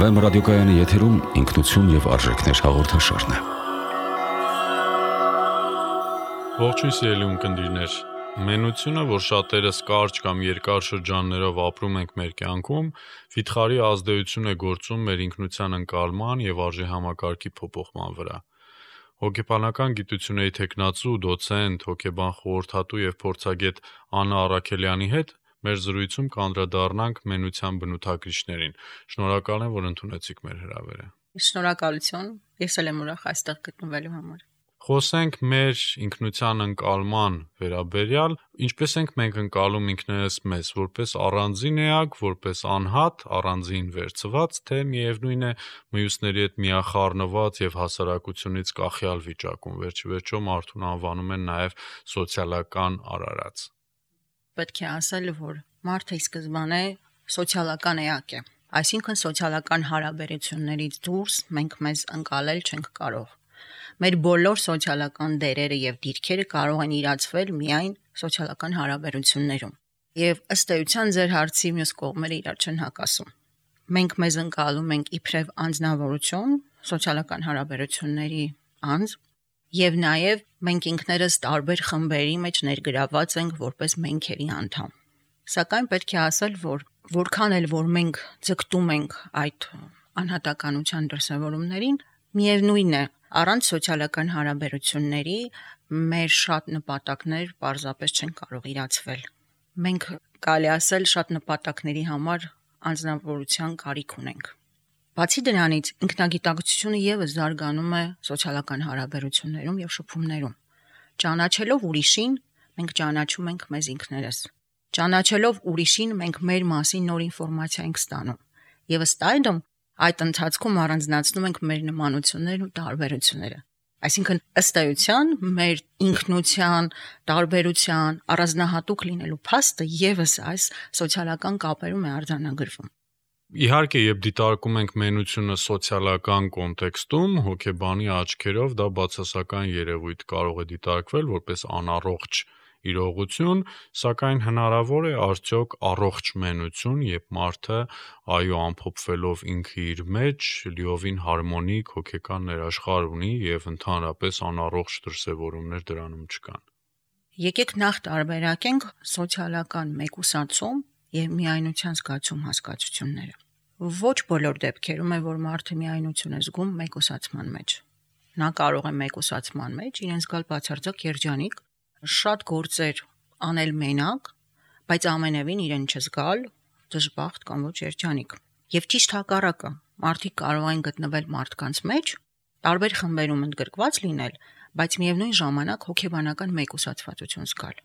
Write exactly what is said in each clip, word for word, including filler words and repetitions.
Վեմ ռադիոկայանի եթերում ինքնություն եւ արժեքներ հաղորդաշարն է։ Ողջույն սիրելի ունկնդիրներ։ Մենությունը, որ շատերս կարճ կամ երկար շրջաններով ապրում ենք մեր կյանքում, վիթխարի ազդեցություն է գործում մեր ինքնության ընկալման եւ արժե համակարգի փոփոխման վրա։ Հոգեբանական գիտությունների թեկնածու, դոցենտ, հոգեբան խորհրդատու եւ փորձագետ Աննա Առաքելյանի հետ մեր զրույցում կանդրադառնանք մենության բնութագրիչներին։ Շնորհակալ եմ, որ ընդունեցիք մեր հրավերը։ Շնորհակալություն, ես էլ եմ ուրախ այստեղ գտնվելու համար։ Խոսենք մեր ինքնության ընկալման վերաբերյալ, ինչպես ենք մենք ընկալում ինքներս մեզ, որպես առանձին էակ, որպես անհատ, առանձին վերցված, թե միևնույն է մյուսների հետ միախառնված եւ հասարակությունից կախյալ վիճակում, վերջիվերջո մարդուն անվանում են նաեւ սոցիալական արարած։ Պետք է ասել, որ մարդը ի սկզբանե սոցիալական էակ է, այսինքն սոցիալական հարաբերություններից դուրս մենք մեզ ընկալել չենք կարող։ Մեր բոլոր սոցիալական դերերը եւ դիրքերը կարող են իրացվել միայն սոցիալական հարաբերություններում։ Եվ ըստ էության ձեր հարցի մյուս կողմերը իրար չեն հակասում։ Մենք մեզ ընկալում ենք իբրև անձնավորություն, սոցիալական հարաբերությունների անձ, եւ նաեւ մենք ինքներս տարբեր խմբերի մեջ ներգրաված ենք որպես մենքերի անդամ։ Սակայն պետք է ասել, որ որքան էլ որ մենք ձգտում ենք այդ անհատականության դրսևորումներին, միևնույն է, առանց սոցիալական հարաբերությունների մեր շատ նպատակներ պարզապես չեն կարող իրացվել։ Մենք կարելի ասել շատ նպատակների համար անձնավորության կարիք ունենք։ Բացի դրանից, ինքնագիտակցությունը եւս զարգանում է սոցիալական հարաբերություններում եւ շփումներում։ Ճանաչելով ուրիշին, մենք ճանաչում ենք մեզ ինքներս։ Ճանաչելով ուրիշին, մենք մեր մասին նոր ինֆորմացիա ենք ստանում։ Եվ ըստ այդմ, այդ ընթացքում առանձնացնում ենք մեր նմանություններն ու տարբերությունները։ Այսինքն, ըստ էության, մեր ինքնության, տարբերության, առանձնահատուկ լինելու փաստը եւս այս սոցիալական կապերում է արձանագրվում։ Իհարկե, երբ դիտարկում ենք մենությունը սոցիալական կոնտեքստում, հոգեբանի աչքերով դա բացասական երևույթ կարող է դիտարկվել որպես անառողջ իրողություն, սակայն հնարավոր է արդյոք առողջ մենություն, երբ մարդը այո ամփոփվելով ինքը իր մեջ լիովին հարմոնիկ հոգեկան ներաշխար ունի եւ ընդհանրապես անառողջ դրսևորումներ դրանում չկան։ Եկեք նախ տարբերակենք սոցիալական մեկուսացում եւ միայնության զգացում հասկացությունները։ Ոչ բոլոր դեպքերում է, որ մարդը միայնություն է զգում մեկուսացման մեջ։ Նա կարող է մեկուսացման մեջ իրեն զգալ բացարձակ երջանիկ, շատ գործեր անել մենակ, բայց ամենևին իրեն չզգալ դժբախտ կամ ոչ երջանիկ։ Եվ ճիշտ հակառակը, մարդիկ կարող են գտնվել մարդկանց մեջ, տարբեր խմբերում ընդգրկված լինել, բայց միևնույն ժամանակ հոգեբանական մեկուսացվածություն զգալ։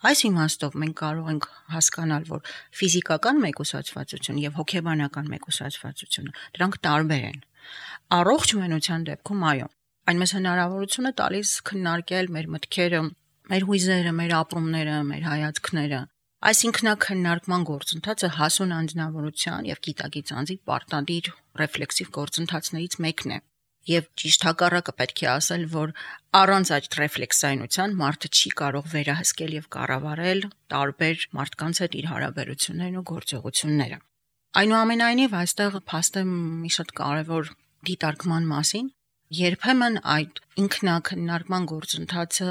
Այս իմաստով մենք կարող ենք հասկանալ, որ ֆիզիկական մեկուսացվածություն եւ հոգեբանական մեկուսացվածությունը դրանք տարբեր են։ Առողջ մենության դեպքում այո, այն մեզ հնարավորություն է տալիս քննարկել մեր մտքերը, մեր հույզերը, մեր ապրումները, մեր հայացքները։ Այս ինքնաքննարկման գործընթացը հասուն անձնավորության եւ գիտակից անձի պարտադիր ռեֆլեքսիվ գործընթացներից մեկն է։ Եվ ճիշտ հակառակը պետք է ասել, որ առանց այդ ռեֆլեքսայնության մարդը չի կարող վերահսկել եւ կառավարել տարբեր մարդկանց հետ իր հարաբերություններն ու գործողությունները։ Այնուամենայնիվ, այստեղ փաստ է մի շատ կարևոր դիտարկման մասին, երբեմն այդ ինքնակննարկման գործընթացը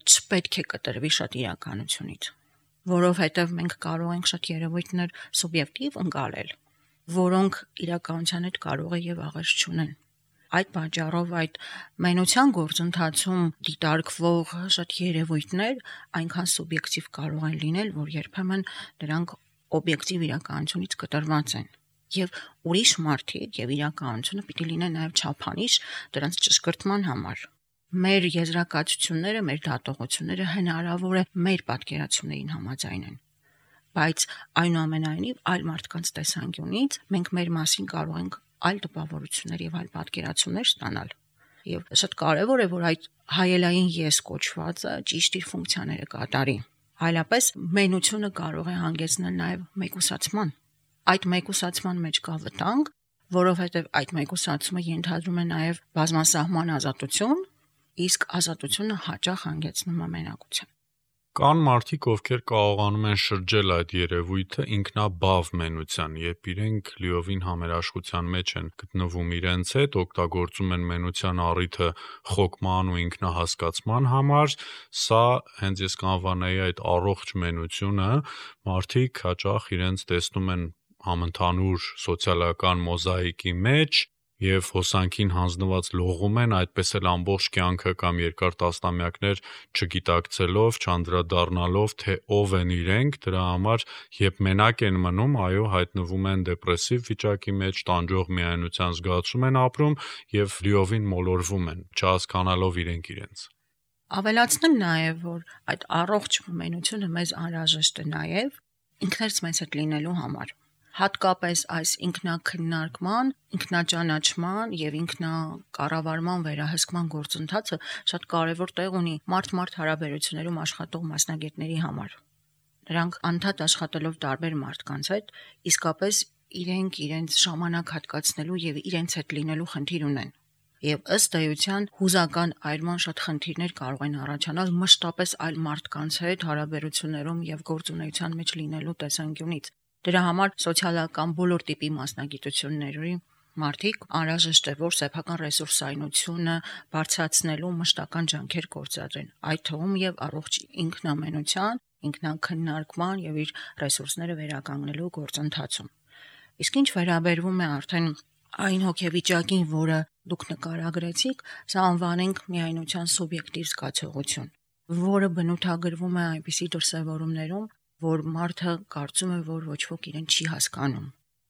չպետք է կտրվի շատ իրականությունից, որովհետեւ մենք կարող ենք շատ երևույթներ սուբյեկտիվ ընկալել, որոնք իրականության հետ կարող է եւ աղերս չունեն։ Այդ պատճառով այդ մենության գործընթացում դիտարկվող շատ երևույթներ այնքան սուբյեկտիվ կարող են լինել, որ երբեմն դրանք օբյեկտիվ իրականությունից կտրված են։ Եվ ուրիշ մարդիկ եւ իրականությունը պիտի լինեն նաեւ չափանիշ դրանց ճշգրտման համար։ Մեր եզրակացությունները, մեր դատողությունները հնարավոր է մեր պատկերացումներին համաձայնեն։ Բայց այնուամենայնիվ այլ մարդկանց տեսանկյունից մենք մեր մասին կարող ենք այլ տպավորություններ եւ այլ պատկերացումներ ստանալ։ Եվ շատ կարեւոր է, որ այդ հայելային ես կոչվածը ճիշտ իր ֆունկցիաները կատարի։ Այլապես մենությունը կարող է հանգեցնել նաեւ մեկուսացման։ Այդ մեկուսացման մեջ կա վտանգ, որովհետեւ այդ մեկուսացումը ենթադրում է նաեւ բազմասահման ազատություն, իսկ ազատությունը հաճախ հանգեցնում է մենակության։ Կան մարդիկ, ովքեր կարողանում են շրջել այդ երևույթը ինքնաբավ մենության, երբ իրենք լիովին համերաշխության մեջ են գտնվում իրենց հետ, օգտագործում են մենության առիթը խոկման ու ինքնահասկացման համար, սա հենց ես կանվանայի այդ առողջ մենությունը, մարդիկ հաճախ իրենց տեսնում են համընդհանուր սոցիալական մոզաիկի մեջ և հոսանքին հանձնված լողում են, այդպես էլ ամբողջ կյանքը կամ երկար տասնամյակներ չգիտակցելով, չանդրադառնալով, թե ով են իրենք, դրա համար, երբ մենակ են մնում, այո, հայտնվում են դեպրեսիվ վիճակի մեջ, տանջող միայնության զգացում են ապրում և լիովին մոլորվում են, չհասկանալով իրենք իրենց։ Ավելացնեմ նաև, որ այդ առողջ մենությունը մեզ անհրաժեշտ է նաև ինքներս մեզ հետ լինելու համար։ Հատկապես այս ինքնակննարկման, ինքնաճանաչման և ինքնակառավարման վերահսկման գործընթացը շատ կարևոր տեղ ունի մարդ-մարդ հարաբերություններում աշխատող մասնագետների համար։ Նրանք անդադ աշխատելով տարբեր մարդկանց հետ, իսկապես իրենք իրենց ժամանակ հատկացնելու և իրենց հետ լինելու խնդիր ունեն։ Եվ ըստ էության հուզական այրման շատ խնդիրներ կարող են առաջանալ մշտապես այլ մարդկանց հետ հարաբերություններում և գործունեության մեջ լինելու տեսանկյունից։ Դրա համար սոցիալական բոլոր տիպի մասնագիտությունների մարդիկ անհրաժեշտ է, որ սեփական ռեսուրսայնությունը բարձրացնելու մշտական ջանքեր գործադրեն, այդ թվում և առողջ ինքնամենության, ինքնաքննարկման և իր ռեսուրսները վերականգնելու գործընթացում։ Իսկ ինչ վերաբերվում է արդեն այն հոգեվիճակին, որը դուք նկարագրեցիք, սա անվանենք միայնության սուբյեկտիվ զգացողություն, որը բնութագրվում է այնպիսի դրսևորումներում, որ մարդը կարծում է, որ ոչ ոք իրեն չի հասկանում։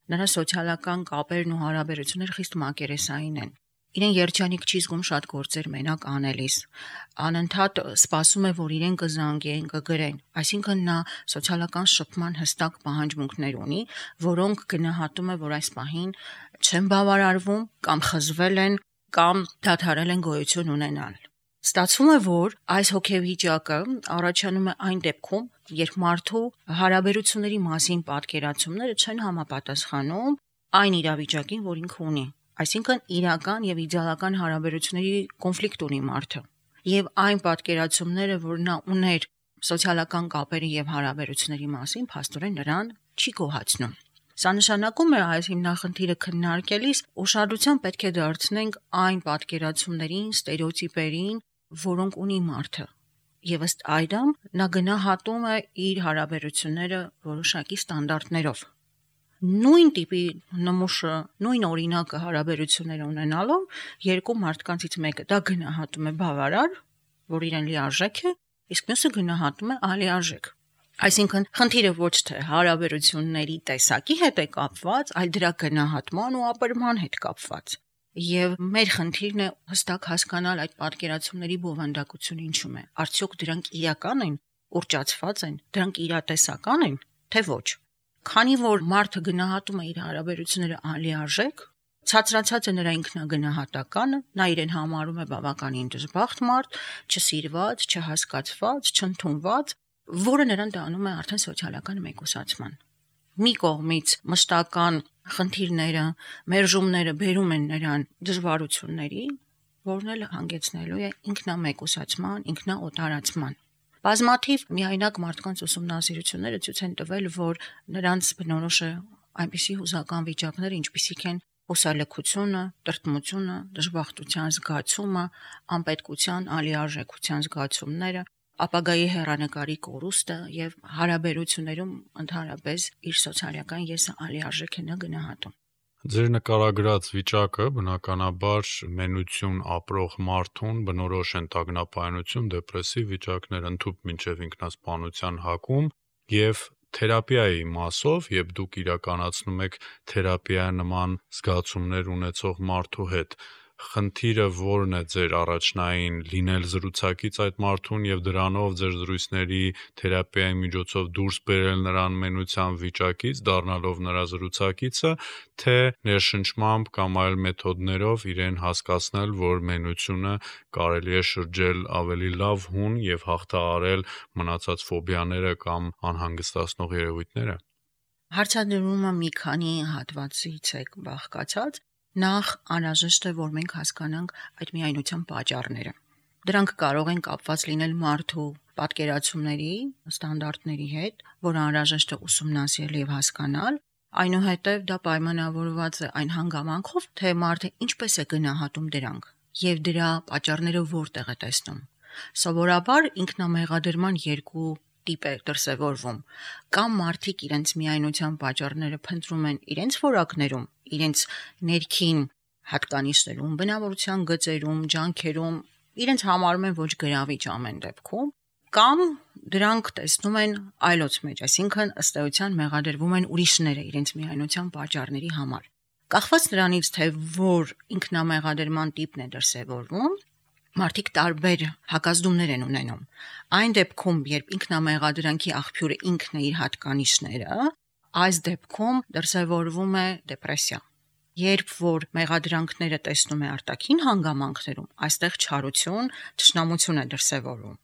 Նրա սոցիալական կապերն ու հարաբերությունները խիստ մակերեսային են։ Իրեն երջանիկ չի զգում շատ գործեր մենակ անելիս։ Անընդհատ սպասում է, որ իրեն կզանգեն, կգրեն, այսինքն նա սոցիալական շփման հստակ պահանջմունքներ ունի, որոնք գնահատում է, որ այս պահին չեն բավարարվում կամ խզվել են կամ դադարել են գոյություն ունենալ։ Ստացվում է, որ այս հոգեվիճակը առաջանում է այն դեպքում, երբ մարդու հարաբերությունների մասին պատկերացումները չեն համապատասխանում այն իրավիճակին, որ ինքը ունի։ Այսինքն իրական և իդեալական հարաբերությունների կոնֆլիկտ ունի մարդը։ Եվ այն պատկերացումները, որ նա ուներ սոցիալական կապերի և հարաբերությունների մասին, փաստորեն նրան չի գոհացնում։ Սա նշանակում է այս հիմնախնդիրը քննարկելիս ուշադրություն պետք է դարձնենք այն պատկերացումներին, ստերեոտիպերին, որոնք ունի մարդը, եւ ըստ այդմ նա գնահատում է իր հարաբերությունները որոշակի ստանդարտներով։ Նույն տիպի նմուշը, նույն օրինակը հարաբերություններ ունենալով երկու մարդկանցից մեկը դա գնահատում է բավարար, որ իրեն լիարժեք է, իսկ մյուսը գնահատում է ալիարժեք։ Այսինքն խնդիրը ոչ թե հարաբերությունների տեսակի հետ է կապված, այլ դրա գնահատման ու ապրման հետ կապված։ Եվ մեր խնդիրն է հստակ հասկանալ այդ պատկերացումների բովանդակությունը ինչում է։ Արդյոք դրանք իրական են, ուռճացված են, դրանք իրատեսական են, թե ոչ։ Քանի որ մարդը գնահատում է իր հարաբերությունները անլիարժեք, ցածրացած է նրա ինքնագնահատականը, նա իրեն համարում է բավականին դժբախտ մարդ, չսիրված, չհասկացված, չընդունված, որը նրան տանում է արդեն սոցիալական մեկուսացման։ Մի կողմից մշտական խնդիրները, մերժումները բերում են նրան դժվարությունների, որն էլ հանգեցնելու է ինքնամեկուսացման, ինքնաօտարացման։ Բազմաթիվ միայնակ մարդկանց ուսումնասիրությունները ցույց են տվել, որ նրանց բնորոշ է այնպիսի հուզական վիճակներ, ինչպիսիք են հուսալքությունը, տրտմությունը, դժբախտության զգացումը, անպետքության, ալիարժեքության զգացումները, ապագայի հեռանկարի կորուստը եւ հարաբերություններում ընդհանրապես իր սոցիալական եսը ալիարժեք է նա գնահատում։ Ձեր նկարագրած վիճակը բնականաբար մենություն ապրող մարդուն բնորոշ են տագնապայնություն, դեպրեսիվ վիճակներ, ընդհուպ մինչև ինքնասպանության հակում եւ թերապիայի մասով, երբ դուք իրականացնում եք թերապիա նման զգացումներ ունեցող մարդու հետ, խնդիրը որն է ձեր առաջնային լինել զրուցակից այդ մարդուն եւ դրանով ձեր զրույցների թերապիայի միջոցով դուրս բերել նրան մենության վիճակից, դառնալով նրա զրուցակիցը, թե ներշնչմամբ կամ այլ մեթոդներով իրեն հասկացնել, որ մենությունը կարելի է շրջել ավելի լավ հուն եւ հաղթահարել մնացած ֆոբիաները կամ անհանգստացնող երևույթները։ Հարցադրումը մի քանի հատվածից է բաղկացած։ Նախ անհրաժեշտ է, որ մենք հասկանանք այդ միայնության պատճառները։ Դրանք կարող են կապված լինել մարդու պատկերացումների, ստանդարտների հետ, որ անհրաժեշտ է ուսումնասիրել եւ հասկանալ, այնուհետև դա պայմանավորված է այն հանգամանքով, թե մարդը ինչպես է գնահատում դրանք եւ դրա պատճառները որտեղ է տեսնում։ Սովորաբար ինքնամեղադրման երկու տիպ է դրսևորվում, կամ մարդիկ իրենց միայնության պատճառները փնտրում են իրենց որակներում, իրենց ներքին հատկանիշներում, բնավորության գծերում, ջանքերում, իրենց համարում են ոչ գրավիչ ամեն դեպքում, կամ դրանք տեսնում են այլոց մեջ, այսինքն ըստ էության մեղադրվում են ուրիշները իրենց միայնության պատճառների համար։ Կախված նրանից, թե որ ինքնամեղադրման տիպն է դրսևորվում, մարդիկ տարբեր հակազդումներ են ունենում։ Այն դեպքում, երբ ինքնամեղադրանքի աղբյուրը ինքն է իր հատկանիշները, այս դեպքում դրսևորվում է դեպրեսիա։ Երբ որ մեղադրանքները տեսնում է արտաքին հանգամանքներում, այստեղ չարություն, թշնամություն է դրսևորվում։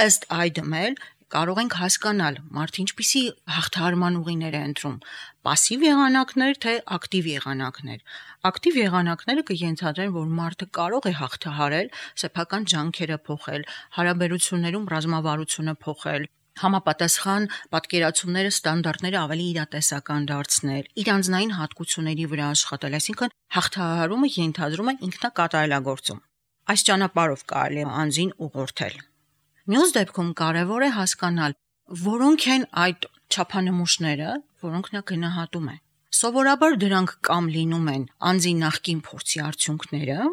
Ըստ այդմ էլ կարող ենք հասկանալ մարդը ինչպիսի հաղթահարման ուղիներ է ընտրում՝ պասիվ եղանակներ, թե ակտիվ եղանակներ։ Ակտիվ եղանակները կենթադրեն, որ մարդը կարող է հաղթահարել, սեփական ջանքերը փոխել, հարաբերություններում ռազմավարությունը փոխել, համապատասխան պատկերացումները, ստանդարտները ավելի իրատեսական դարձնել, իր անձնային հատկությունների վրա աշխատել, այսինքն հաղթահարումը ենթադրում է ինքնակատարելագործում։ Այս ճանապարհով կարելի է անձին ուղղորդել։ Մյուս դեպքում կարևոր է հասկանալ, որոնք են այդ չափանմուշները, որոնք նա գնահատում է։ Սովորաբար դրանք կամ լինում են անձի նախկին փորձի արդյունքները,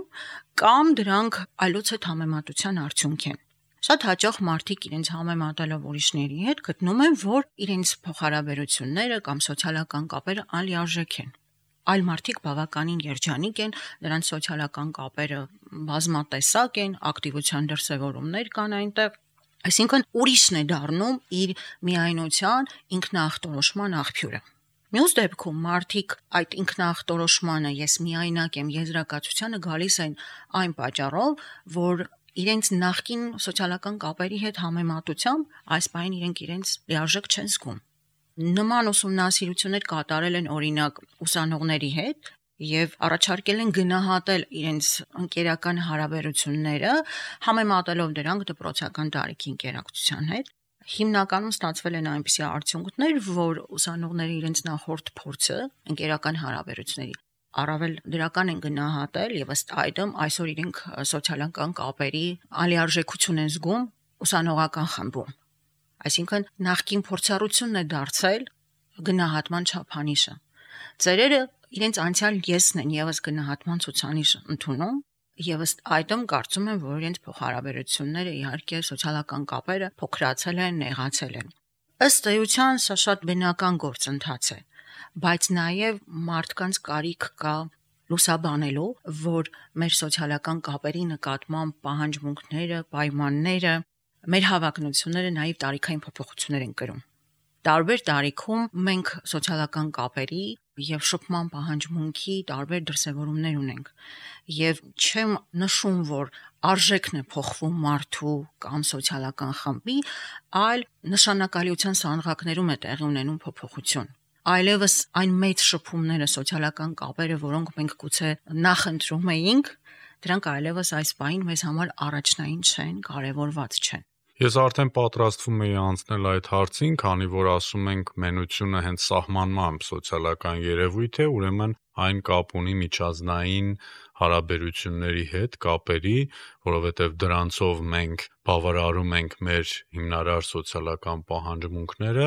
կամ դրանք այլոց հետ համեմատության արդյունք են։ Շատ հաճախ մարդիկ իրենց համեմատելով ուրիշների հետ գտնում են, որ իրենց փոխհարաբերությունները կամ սոցիալական կապերը անլիարժեք են։ Այլ մարդիկ բավականին երջանիկ են, նրանց սոցիալական կապերը բազմատեսակ են, ակտիվության դրսևորումներ կան այնտեղ, այսինքն ուրիշն է դառնում իր միայնության ինքնախտորոշման աղբյուրը։ Մյուս դեպքում մարդիկ այդ ինքնախտորոշմանը ես միայնակ եմ եզրակացությանը գալիս են այն պատճառով, որ իրենց նախկին սոցիալական կապերի հետ համեմատությամբ այս բանին իրենք իրենց լիարժեք չեն զգում։ Նման ուսումնասիրություններ կատարել են օրինակ ուսանողների հետ եւ առաջարկել են գնահատել իրենց ընկերական հարաբերությունները, համեմատելով դրանք դպրոցական տարիքի ընկերակցության հետ։ Հիմնականում ստացվել են այնպիսի արդյունքներ, որ ուսանողները իրենց նախորդ փորձը ընկերական հարաբերությունների առավել դրական են գնահատել եւ ըստ այդմ այսօր իրենք սոցիալական կապերի անլիարժեքություն են զգում ուսանողական խմբում։ Այսինքն նախկին փորձառությունն է դարձել գնահատման չափանիշը։ Ծերերը իրենց անցյալ եսն են եւս գնահատման ցուցանիշ ընդունում եւ ըստ այդմ կարծում են, որ իրենց փոխհարաբերությունները իհարկե սոցիալական կապերը փոքրացել են, նեղացել են։ Ըստ էության սա շատ բնական գործընթաց է, բայց նաև մարդկանց կարիք կա լուսաբանելու, որ մեր սոցիալական կապերի նկատմամբ պահանջմունքները, պայմանները, մեր հավակնությունները նաև տարիքային փոփոխություններ են կրում։ Տարբեր տարիքում մենք սոցիալական կապերի եւ շփման պահանջմունքի տարբեր դրսևորումներ ունենք եւ չեմ նշում, որ արժեքն է փոխվում մարդու կամ սոցիալական խմբի, այլ նշանակալիության սանդղակներում է տեղի ունենում փոփոխություն։ Այլևս այն մեծ շփումները, սոցիալական կապերը, որոնք մենք գուցե նախընտրում էինք, դրանք այլևս այս պահին մեզ համար առաջնային չեն, կարևորված չեն։ Ես արդեն պատրաստվում էի անցնել այդ հարցին, քանի որ ասում ենք մենությունը հենց սահմանմամբ սոցիալական երևույթ է, ուրեմն այն կապ ունի միջազգային հարաբերությունների հետ, կապերի, որովհետև դրանցով մենք բավարարում ենք մեր հիմնարար սոցիալական պահանջմունքները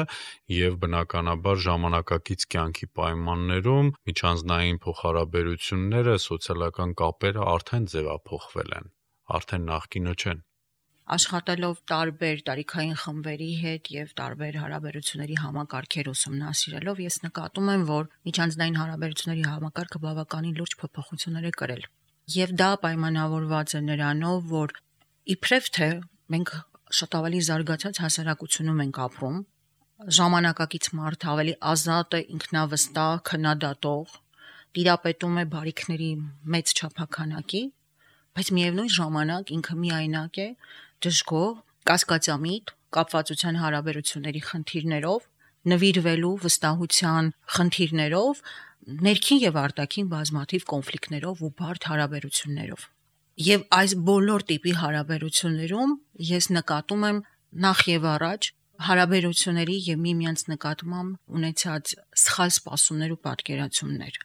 եւ բնականաբար ժամանակակից կյանքի պայմաններում միջանձնային փոխհարաբերությունները, սոցիալական կապերը արդեն ձևափոխվել են, արդեն նախկինը չեն։ Աշխատելով տարբեր տարիքային խմբերի հետ եւ տարբեր հարաբերությունների համակարգեր ուսումնասիրելով, ես նկատում եմ, որ միջանձնային հարաբերությունների համակարգը բավականին լուրջ փոփոխություններ է կրել։ Եվ դա պայմանավորված է նրանով, որ իբրև թե մենք շատ ավելի զարգացած հասարակությունում ենք ապրում, ժամանակակից մարդը ավելի ազատ է, ինքնավստահ, քննադատող, տիրապետում է բարիքների մեծ չափականակի, բայց միևնույն ժամանակ ինքը միայնակ է, դժգոհ, կասկածամիտ, կապվածության հարաբերությունների խնդիրներով, նվիրվելու վստահության խնդիրներով, ներքին եւ արտաքին բազմաթիվ կոնֆլիկտներով ու բարդ հարաբերություններով։ Եվ այս բոլոր տիպի հարաբերություններում ես նկատում եմ նախ եւ առաջ հարաբերությունների եւ միմյանց նկատմամբ ունեցած սխալ սպասումներ ու պատկերացումներ։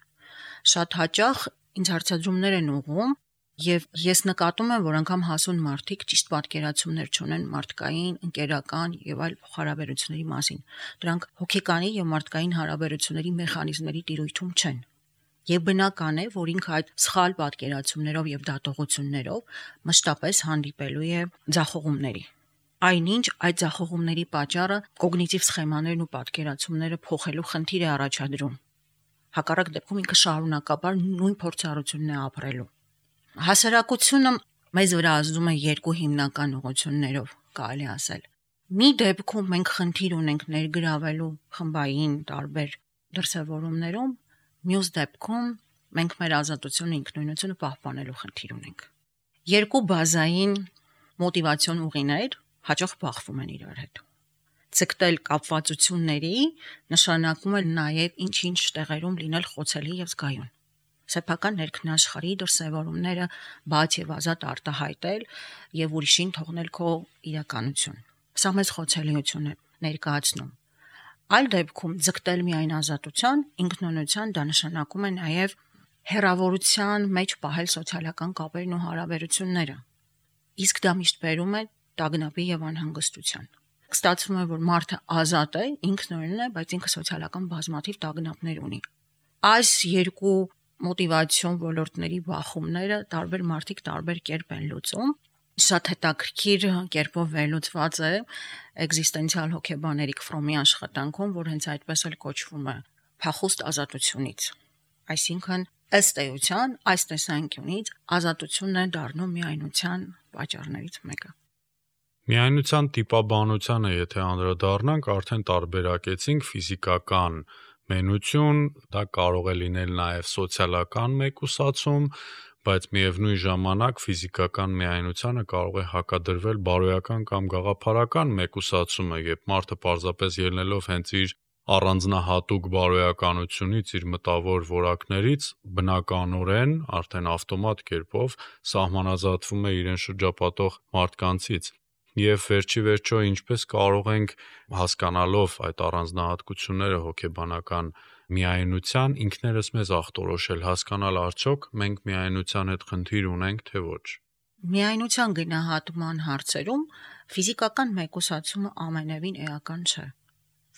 Շատ հաճախ ինձ հարցադրումներ են ուղղում եւ ես նկատում եմ, որ անգամ հասուն մարդիկ ճիշտ պատկերացումներ չունեն մարդկային, ընկերական եւ այլ հարաբերությունների մասին։ Դրանք հոգեկանի եւ մարդկային հարաբերությունների մեխանիզմների տիրույթում չեն։ Եվ բնական է, որ ինքը այդ սխալ պատկերացումներով եւ դատողություններով մշտապես հանդիպելու է ձախողումների։ Այնինչ այդ ձախողումների պատճառը կոգնիտիվ սխեմաներն ու պատկերացումները փոխելու խնդիր է առաջադրում։ Հակառակ դեպքում ինքը շարունակաբար նույն փորձառությունն է ապրելու։ Հասարակությունը մեզ վրա ազդում է երկու հիմնական ուղղություններով, կարելի ասել։ Մի դեպքում մենք խնդիր ունենք ներգրավելու խմբային տարբեր դրսևորումներում, մյուս դեպքում մենք մեր ազատությունը, ինքնուրույնությունը պահպանելու խնդիր ունենք։ Երկու բազային մոտիվացիոն ուղիներ հաճախ բախվում են իրար հետ։ Ցկտել կապվածությունների նշանակում է նաև ինչ-ինչ տեղերում լինել խոցելի եւ զգայուն։ Սեփական ներքնաշխարհի դրսևորումները բաց եւ ազատ արտահայտել եւ ուրիշին թողնել քո իրականություն։ Սա մեծ խոցելիություն է ներկայացնում։ Այլ դեպքում ձգտել միայն ազատության, ինքնուրույնության դա նշանակում է նաև հերավորության մեջ պահել սոցիալական կապերն ու հարաբերությունները։ Իսկ դա միշտ բերում է տագնապի եւ անհանգստության։ Ստացվում է, որ մարդը ազատ է, ինքնուրույն է, բայց ինքը սոցիալական բազմաթիվ տագնապներ ունի։ Այս երկու մոտիվացիոն ոլորտների բախումները տարբեր մարդիկ տարբեր կերպ են լուծում։ Շատ հետաքրքիր կերպով վերլուծված է էգզիստենցիալ հոգեբան Էրիկ Ֆրոմի աշխատանքում, որ հենց այդպես էլ կոչվում է փախուստ ազատությունից։ Այսինքն ըստ էության այս տեսանկյունից ազատությունն է դառնում միայնության պատճառներից մեկը։ Միայնության տիպաբանությանը եթե անդրադառնանք, արդեն տարբերակեցինք ֆիզիկական մենություն, դա կարող է լինել նաև սոցիալական մեկուսացում, բայց միևնույն ժամանակ ֆիզիկական միայնությանը կարող է հակադրվել բարոյական կամ գաղափարական մեկուսացումը, երբ մարդը պարզապես ելնելով հենց իր առանձնահատուկ բարոյականությունից, իր մտավոր որակներից, բնականորեն, արդեն ավտոմատ կերպով սահմանազատվում է իրեն շրջապատող մարդկանցից։ Եվ վերջի վերջո ինչպես կարող ենք հասկանալով այդ առանձնահատկությունները հոգեբանական միայնության ինքներս մեզ ախտորոշել, հասկանալ արդյոք մենք միայնության հետ խնդիր ունենք, թե ոչ։ Միայնության գնահատման հարցերում ֆիզիկական մեկուսացումը ամենևին էական չէ։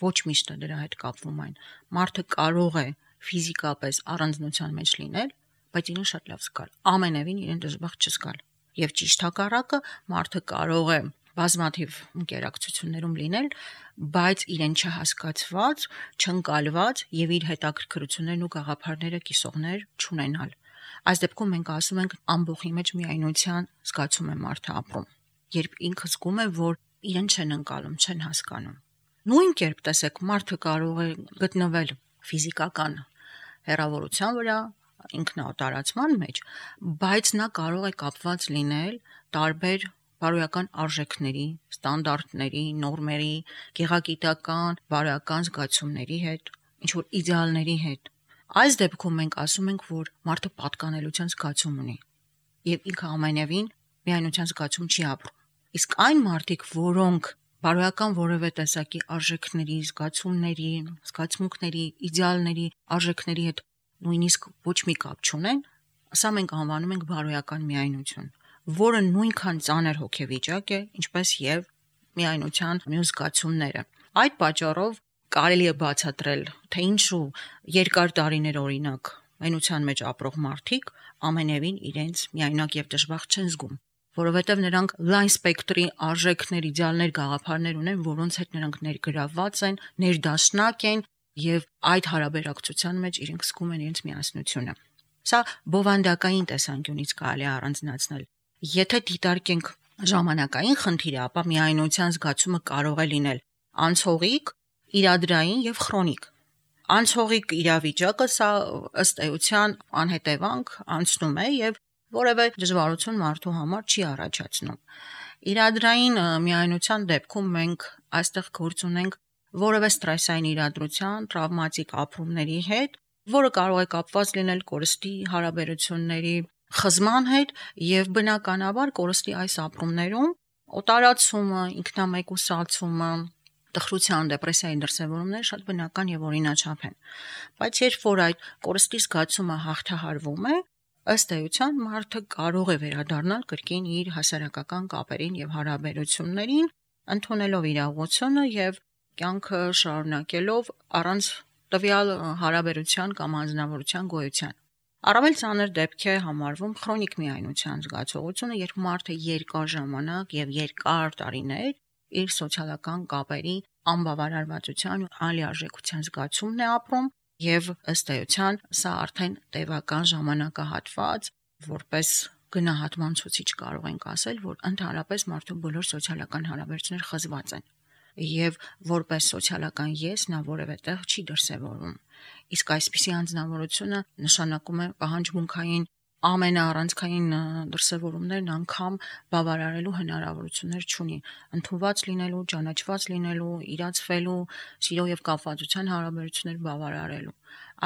Ոչ միշտ դրա հետ կապվում այն։ Մարդը կարող է ֆիզիկապես առանձնության մեջ լինել, բայց իրեն շատ լավ զգալ։ Ամենևին իրեն դժբախտ չզգալ։ Եվ ճիշտ հակառակը, մարդը կարող է բազմաթիվ ինտերակցություններում լինել, բայց իրեն չհասկացված, չընկալված եւ իր հետաքրքրություններն ու գաղափարները կիսողներ չունենալ։ Այս դեպքում մենք ասում ենք ամբողջի մեջ միայնության զգացում է մարդը ապրում, երբ ինքը զգում է, որ իրեն չեն ընկալում, չեն հասկանում։ Նույն կերպ տեսեք, մարդը կարող է գտնվել ֆիզիկական հեռավորության վրա, ինքնատարածման մեջ, բայց նա կարող է կապված լինել տարբեր բարոյական արժեքների, ստանդարտների, նորմերի, գեղագիտական, բարոյական զգացումների հետ, ինչ որ իդեալների հետ։ Այս դեպքում մենք ասում ենք, որ մարդը պատկանելության զգացում ունի, եւ ինքը ամենևին միայնության զգացում չի ապրում։ Իսկ այն մարդիկ, որոնք բարոյական որևէ տեսակի արժեքների, զգացումների, զգացմունքների, իդեալների, արժեքների հետ նույնիսկ ոչ մի կապ չունեն, սա մենք անվանում ենք բարոյական միայնություն, որը նույնքան ծանր հոգեվիճակ է, ինչպես եւ միայնության մյուս զգացումները։ Այդ պատճառով կարելի է բացատրել, թե ինչու երկար տարիներ օրինակ մենության մեջ ապրող մարդիկ ամենևին իրենց միայնակ եւ դժբախտ չեն զգում, որովհետեւ նրանք լայն սպեկտրի արժեքներ, իդեալներ, գաղափարներ ունեն, որոնց հետ նրանք ներգրավված են, ներդաշնակ են եւ այդ հարաբերակցության մեջ իրենք զգում են իրենց միասնությունը։ Սա բովանդակային տեսանկյունից կարելի է առանձնացնել։ Եթե դիտարկենք ժամանակային խնդիրը, ապա միայնության զգացումը կարող է լինել անցողիկ, իրադրային եւ քրոնիկ։ Անցողիկ իրավիճակը սա ըստ էության անհետևանք անցնում է եւ որևէ դժվարություն մարդու համար չի առաջացնում։ Իրադրային միայնության դեպքում մենք այստեղ գործ ունենք որևէ ստրեսային իրադրության, տրավմատիկ ապրումների հետ, որը կարող է կապված լինել կորստի, հարաբերությունների, խզման հետ եւ բնականաբար կորստի այս ապրումներում օտարացումը, ինքնամեկուսացումը, տխրության, դեպրեսիայի դրսևորումները շատ բնական եւ օրինաչափ են։ Բայց երբ որ այդ կորստի զգացումը հաղթահարվում է, ըստ էության մարդը կարող է վերադառնալ կրկին իր հասարակական կապերին եւ հարաբերություններին, ընդունելով իրողությունը եւ կյանքը շարունակելով առանց տվյալ հարաբերության կամ անձնավորության գոյության։ Առավել ծանր դեպք է համարվում քրոնիկ միայնության զգացողությունը, երբ մարդը երկար ժամանակ եւ երկար տարիներ իր սոցիալական կապերի անբավարարվածության ու անլիարժեքության զգացումն է ապրում եւ ըստ էության սա արդեն տևական ժամանակահատված որպես գնահատման ցուցիչ կարող ենք ասել, որ ընդհանրապես մարդու բոլոր սոցիալական հարաբերությունները խզված են եւ որպես սոցիալական ես նա որևէ տեղ չի դրսևորվում։ Իսկ այսպիսի անձնավորությունը նշանակում է պահանջմունքային ամենաառանցքային դրսևորումներն անգամ բավարարելու հնարավորություններ չունի, ընդունված լինելու, ճանաչված լինելու, իրացվելու, սիրո եւ կապվածության հարաբերություններ բավարարելու։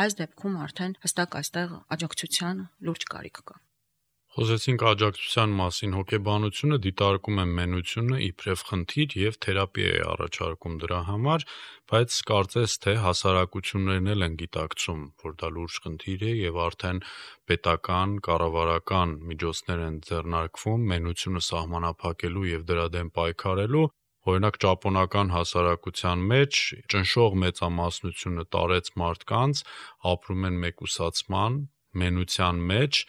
Այս դեպքում արդեն հստակ այստեղ աջակցության լուրջ կարիք կա։ Խոսեցինք աջակցության մասին, հոգեբանությունը դիտարկում է մենությունը իբրև խնդիր եւ թերապիա է առաջարկում դրա համար, բայց կարծես թե հասարակություններն էլ են գիտակցում, որ դա լուրջ խնդիր է եւ արդեն պետական, կառավարական միջոցներ են ձեռնարկվում մենությունը սահմանափակելու եւ դրա դեմ պայքարելու։ Օրինակ ճապոնական հասարակության մեջ ճնշող մեծամասնությունը տարեց մարդկանց ապրում են մեկուսացման, մենության մեջ,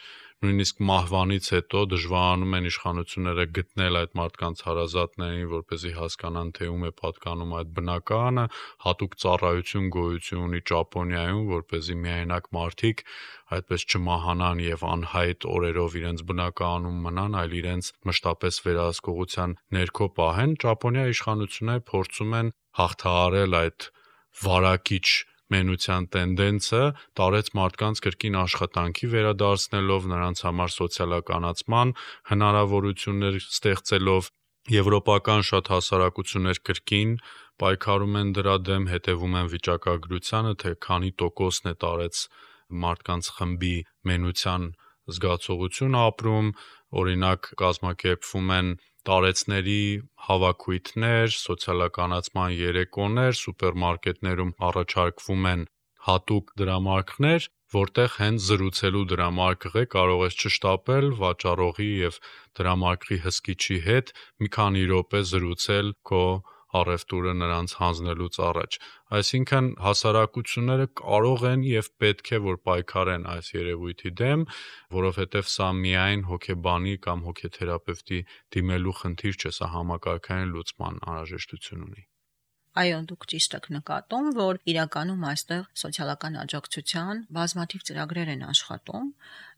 նույնիսկ մահվանից հետո դժվարանում են իշխանությունները գտնել այդ մարդկանց հարազատներին, որպեսզի հասկանան, թե ում է պատկանում այդ բնակարանը, հատուկ ծառայություն գոյություն ունի Ճապոնիայում, որպեսզի միայնակ մարդիկ այդպես չմահանան եւ անհայտ օրերով իրենց բնակարանում մնան, այլ իրենց մշտապես վերահսկողության ներքո պահեն։ Ճապոնիայի իշխանությունները փորձում են հաղթահարել այդ վարակիչ մենության տենդենսը, տարեց մարդկանց կրկին աշխատանքի վերադարձնելով, նրանց համար սոցիալականացման հնարավորություններ ստեղծելով, եվրոպական շատ հասարակություններ կրկին պայքարում են դրա դեմ, հետևում են վիճակագրությանը, թե քանի տոկոսն է տարեց մարդկանց խմբի մենության զգացողություն ապրում, օրինակ կազմակերպվում են տարեցների հավաքույթներ, սոցիալականացման երեկոներ, սուպերմարկետներում առաջարկվում են հատուկ դրամարկղներ, որտեղ հենց զրուցելու դրամարկղ է, կարող ես չշտապել վաճառողի եւ դրամարկղի հսկիչի հետ մի քանի րոպե զրուցել քո առևտուրը նրանց հանձնելուց առաջ։ Այսինքն հասարակությունները կարող են եւ պետք է որ պայքարեն այս երևույթի դեմ, որովհետեւ սա միայն հոգեբանի կամ հոգեթերապևտի դիմելու խնդիր չէ, սա համակարգային լուծման անհրաժեշտություն ունի։ Այո, դուք ճիշտ եք նկատում, որ իրականում այստեղ սոցիալական աջակցության բազմաթիվ ծրագրեր են աշխատում։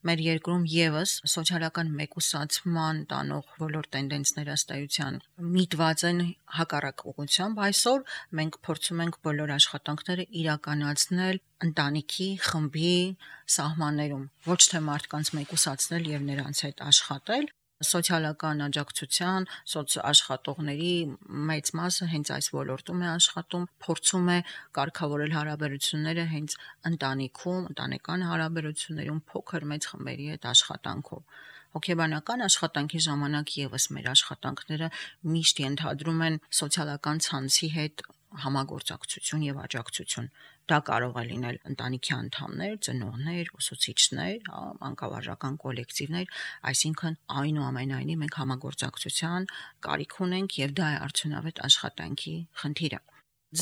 Մեր երկրում եւս սոցիալական մեկուսացման տանող բոլոր տենդենսները ըստ էության միտված են հակառակ ուղղությամբ։ Այսօր մենք փորձում ենք բոլոր աշխատանքները իրականացնել ընտանիքի, խմբի սահմաններում, ոչ թե մարդկանց մեկուսացնել եւ նրանց հետ աշխատել։ Սոցիալական աջակցության, սոցաշխատողների մեծ մասը հենց այս ոլորտում է աշխատում, փորձում է կարգավորել հարաբերությունները հենց ընտանիքում, ընտանեկան հարաբերություններում փոքր մեծ խմբերի հետ աշխատանքով։ Հոգեբանական աշխատանքի ժամանակ եւս մեր աշխատանքները միշտ ենթադրում են սոցիալական ցանցի հետ համագործակցություն եւ աջակցություն։ Դա կարող է լինել ընտանիքի անդամներ, ծնողներ, ուսուցիչներ, մանկավարժական կոլեկտիվներ, այսինքն այնուամենայնիվ մենք համագործակցության կարիք ունենք եւ դա է արդյունավետ աշխատանքի խնդիրը։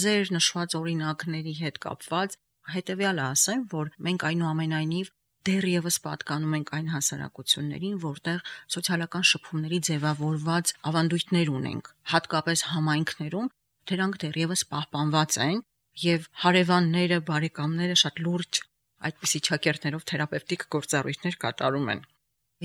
Ձեր նշված օրինակների հետ կապված հետեւյալը ասեմ, որ մենք այնուամենայնիվ դեռևս պատկանում ենք այն հասարակություններին, որտեղ սոցիալական շփումների ձևավորված ավանդույթներ ունենք, հատկապես համայնքներում դրանք դեռևս պահպանված են եւ հարևանները, բարեկամները շատ լուրջ այդպիսի ճակերտներով թերապևտիկ գործառույթներ կատարում են։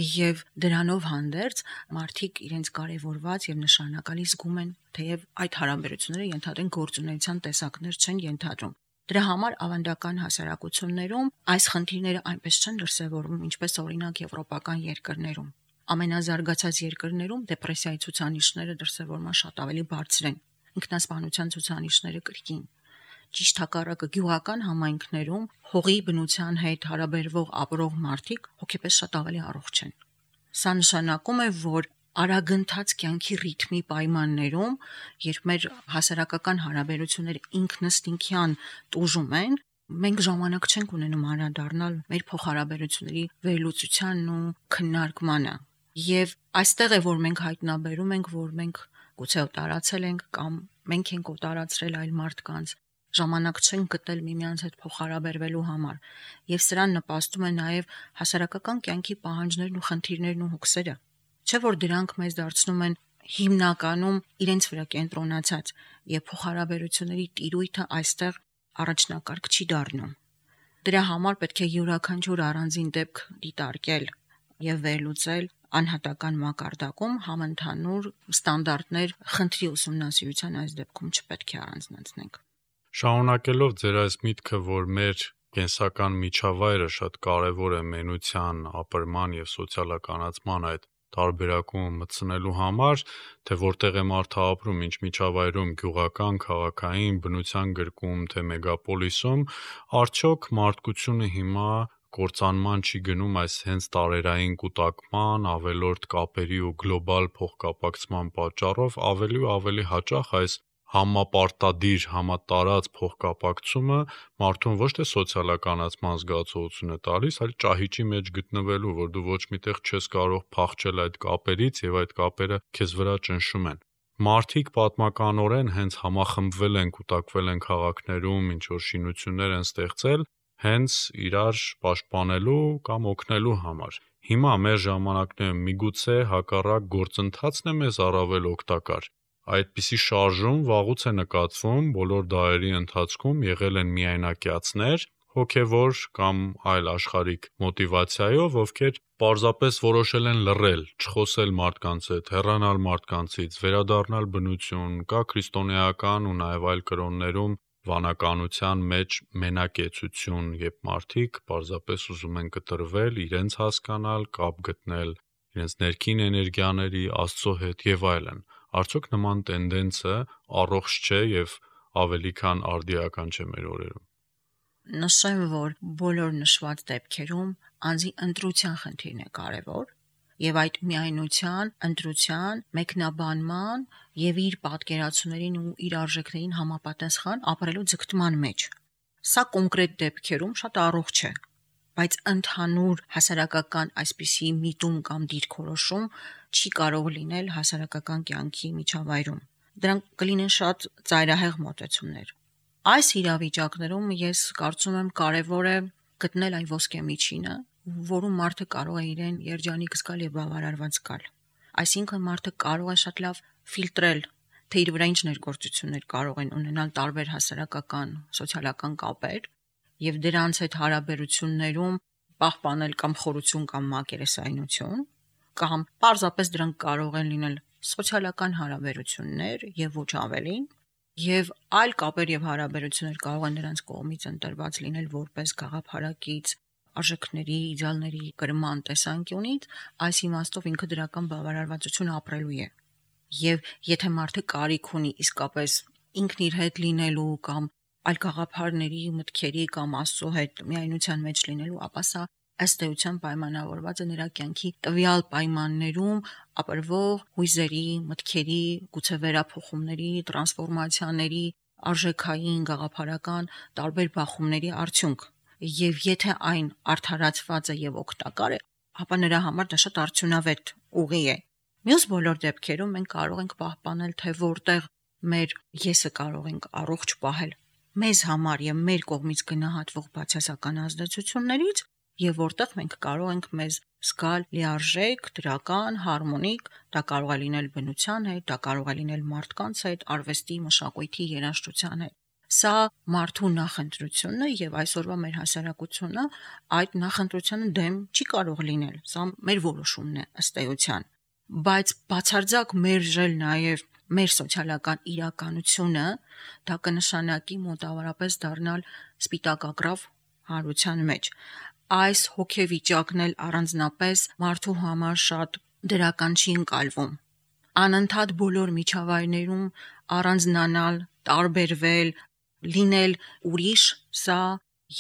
Եվ դրանով հանդերձ մարդիկ իրենց կարևորված եւ նշանակալի զգում են, թեև այդ հարաբերությունները ենթադրեն գործունեության տեսակներ չեն ենթադրում։ Դրա համար ավանդական հասարակություններում այս խնդիրները այնպես չեն դրսևորվում, ինչպես օրինակ եվրոպական երկրներում։ Ամենազարգացած երկրներում դեպրեսիայի ցուցանիշները դրսևորման շատ ավելի բարձր են, ինքնասպանության ցուցանիշները կրկին։ ճիշտ հակառակը գյուղական համայնքներում հողի բնության հետ հարաբերվող ապրող մարդիկ հոգեպես շատ ավելի առողջ են։ Սա նշանակում է, որ արագընթաց կյանքի ռիթմի պայմաններում, երբ մեր հասարակական հարաբերությունները ինքնըստինքյան տուժում են, մենք ժամանակ չենք ունենում անդրադառնալ մեր փոխհարաբերությունների վերլուծությանն ու քննարկմանը։ Եվ այստեղ է, որ մենք հայտնաբերում ենք, որ մենք գուցե տարածել ենք կամ մենք ենք տարածրել այլ մարդկանց, ժամանակ չենք գտել միմյանց հետ փոխհարաբերվելու համար, եւ սրան նպաստում է նաեւ հասարակական կյանքի պահանջներն ու խնդիրներն ու հոգսերը։ Չէ՞ որ դրանք մեզ դարձնում են հիմնականում իրենց վրա կենտրոնացած, եւ փոխհարաբերությունների տիրույթը այստեղ առաջնակարգ չի դառնում։ Դրա համար պետք է յուրաքանչյուր առանձին դեպք դիտարկել եւ վերլուծել անհատական մակարդակում համընդհանուր ստանդարտներ խնդրի ուսումնասիրության այս դեպքում չպետք է առանձնացնենք։ Շարունակելով ձեր այս միտքը, որ մեր կենսական միջավայրը շատ կարևոր է մենության, ապրման եւ սոցիալականացման այդ տարբերակում մտցնելու համար, թե որտեղ է մարդը ապրում, ինչ միջավայրում, գյուղական, քաղաքային, բնության գրկում, թե մեգապոլիսում, արդյոք մարդկությունը հիմա կործանման չի գնում այս հենց տարերային կուտակման, ավելորդ կապերի ու գլոբալ փոխկապակցման պատճառով ավելի ու ավելի հաճախ այս համապարտադիր, համատարած փոխկապակցումը մարդուն ոչ թե սոցիալականացման զգացողություն է տալիս, այլ ճահիճի մեջ գտնվելու, որ դու ոչ միտեղ չես կարող փախչել այդ կապերից եւ այդ կապերը քեզ վրա ճնշում են։ Մարդիկ պատմականորեն հենց համախմբվել են, կուտակվել են քաղաքներում, ինչ որ շինություններ են ստեղծել, հենց իրար պաշտպանելու կամ օգնելու համար։ Հիմա մեր ժամանակներում միգուցե հակառակ գործընթացն է մեզ առավել օգտակար։ Այդպիսի շարժում վաղուց է նկատվում, բոլոր դարերի ընթացքում եղել են միայնակիացներ, հոգևոր կամ այլ աշխարհիկ մոտիվացիայով, ովքեր պարզապես որոշել են լռել, չխոսել մարդկանց հետ, հեռանալ մարդկանցից, վերադառնալ բնություն, կա քրիստոնեական ու նաև այլ կրոններում վանականության մեջ մենակեցություն, երբ մարդիկ պարզապես ուզում են կտրվել, իրենց հասկանալ, կապ գտնել իրենց ներքին էներգիաների, Աստծո հետ եւ այլն։ Արդյոք նման տենդենսը առողջ չէ եւ ավելի քան արդիական չէ մեր օրերում։ Նշեմ, որ բոլոր նշված դեպքերում անձի ընտրության խնդիրն է կարևոր եւ այդ միայնության, ընտրության, մեկնաբանման եւ իր պատկերացումներին ու իր արժեքներին համապատասխան ապրելու ձգտման մեջ։ Սա կոնկրետ դեպքերում շատ առողջ է, բայց ընդհանուր հասարակական այսպիսի միտում կամ դիրքորոշում չի կարող լինել հասարակական կյանքի միջավայրում։ Դրանք կլինեն շատ ծայրահեղ մոտեցումներ։ Այս իրավիճակներում ես կարծում եմ կարևոր է գտնել այն ոսկե միջինը, որում մարդը կարող է իրեն երջանիկ զգալ եւ բավարարված զգալ։ Այսինքն մարդը կարող է շատ լավ ֆիլտրել, թե իր վրա ինչ ներգործություններ կարող են ունենալ տարբեր հասարակական, սոցիալական կապեր եւ դրանց հետ հարաբերություններում պահպանել կամ խորություն կամ մակերեսայնություն, կամ պարզապես դրանք կարող են լինել սոցիալական հարաբերություններ եւ ոչ ավելին, եւ այլ կապեր եւ հարաբերություններ կարող են նրանց կողմից ընտրված լինել որպես գաղափարակից, արժեքների, իդեալների կրման տեսանկյունից, այս իմաստով ինքը դրական բավարարվածություն ապրելու է։ Եվ եթե մարդը կարիք ունի իսկապես ինքն իր հետ լինելու կամ այլ գաղափարների, մտքերի կամ Աստծո հետ միայնության մեջ լինելու, ապա սա ըստ էության պայմանավորված է նրա կյանքի տվյալ պայմաններում ապրվող հույզերի, մտքերի, գուցե վերափոխումների, տրանսֆորմացիաների, արժեքային, գաղափարական տարբեր բախումների արդյունք։ Եվ եթե այն արդարացված է եւ օգտակար է, ապա նրա համար դա շատ արդյունավետ ուղի է։ Մյուս բոլոր դեպքերում մենք կարող ենք պահպանել, թե որտեղ մեր եսը կարող ենք առողջ պահել մեզ համար եւ մեր կողմից գնահատվող բացասական ազդեցություններից, եւ որտեղ մենք կարող ենք մեզ զգալ լիարժեք, դրական, հարմոնիկ, դա կարող է լինել բնության հետ, դա կարող է լինել մարդկանց հետ, արվեստի, մշակույթի, երաժշտության հետ։ Սա մարդու նախընտրությունն է եւ այսօրվա մեր հասարակությունը այդ նախընտրությանը դեմ չի կարող լինել։ Սա մեր որոշումն է ըստ էության։ Բայց բացարձակ մերժել նաեւ մեր սոցիալական իրականությունը, դա կնշանակի մոտավորապես դառնալ սպիտակագրավ հարության մեջ։ Այս հոգեվիճակն էլ առանձնապես մարդու համար շատ դրական չի ընկալվում։ Անընդհատ բոլոր միջավայրներում առանձնանալ, տարբերվել, լինել ուրիշ, սա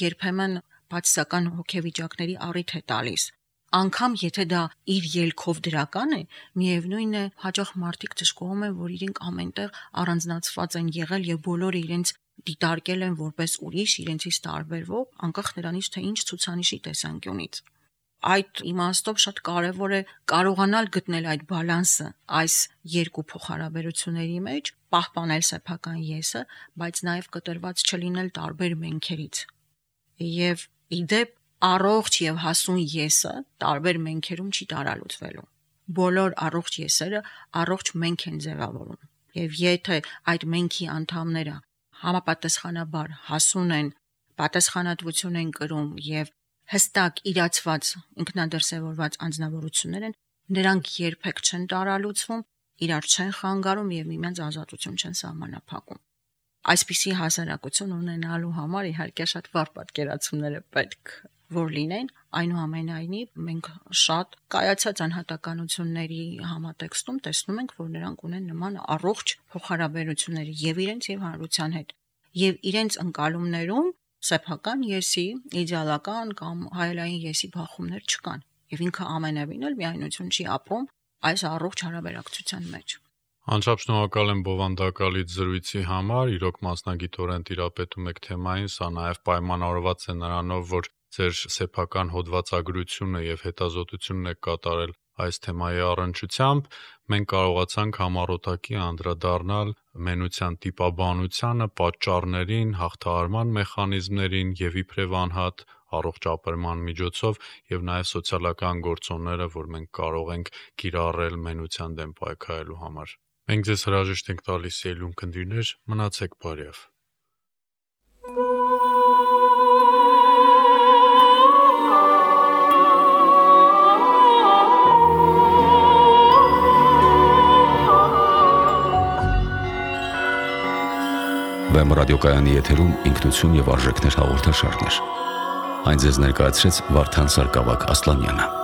երբեմն բացասական հոգեվիճակների առիթ է տալիս։ Անկամ եթե դա իր ելքով դրական է, միևնույն է, հաճախ մարդիկ ճշգրում են, որ իրենք ամենտեղ առանձնացված են եղել եւ բոլորը իրենց դիտարկել են որպես ուրիշ, իրենցից տարբերվող, անկախ նրանից թե ինչ ցուցանիշի տեսանկյունից։ Այդ իմաստով շատ կարևոր է կարողանալ գտնել այդ բալանսը այս երկու փոխհարաբերությունների մեջ, պահպանել սեփական եսը, բայց նաև կտրված չլինել տարբեր մենքերից։ Եվ իդեպ առողջ եւ հասուն եսը տարբեր մենքերում չի տարալուծվելու։ Բոլոր առողջ եսերը առողջ մենք են ձևավորում։ Եվ եթե այդ մենքի անդամները համապատասխանաբար հասուն են, պատասխանատվություն են կրում եւ հստակ իրացված ինքնադրսևորված անձնավորություններ են, նրանք երբեք չեն տարալուծվում, իրար չեն խանգարում եւ միմյանց ազատություն չեն սահմանափակում։ Այսպիսի հասարակություն ունենալու համար իհարկե շատ վառ պատկերացումներ է պետք որ լինեն, այնուամենայնիվ մենք շատ կայացած անհատականությունների համատեքստում տեսնում ենք, որ նրանք ունեն նման առողջ փոխհարաբերություններ եւ իրենց եւ հանրության հետ, եւ իրենց ընկալումներում սեփական եսի, իդեալական կամ հայելային եսի բախումներ չկան, եւ ինքը ամենևին էլ միայնություն չի ապրում այս առողջ հարաբերակցության մեջ։ Անչափ շնորհակալ եմ բովանդակալից զրույցի համար, իրոք մասնագիտորեն տիրապետում եք թեմային, սա նաև պայմանավորված է նրանով, որ ձեր սեփական հոդվածագրությունը եւ հետազոտությունն եք կատարել այս թեմայի առնչությամբ, մենք կարողացանք համառոտակի անդրադառնալ մենության տիպաբանությանը, պատճառներին, հաղթահարման մեխանիզմներին եւ իբրև անհատ առողջ ապրման միջոցով եւ նաեւ սոցիալական գործոնները, որ մենք կարող ենք կիրառել մենության դեմ պայքարելու համար։ Մենք ձեզ հրաժեշտ ենք տալիս ելուն քնդիրներ, մնացեք բարյավ։ Վեմ ռադիոկայանի եթերում ինքնություն եւ արժեքներ հաղորդաշարներ։ Այն ձեզ ներկայացրեց Վարդան Սարգսակ Ասլանյանը։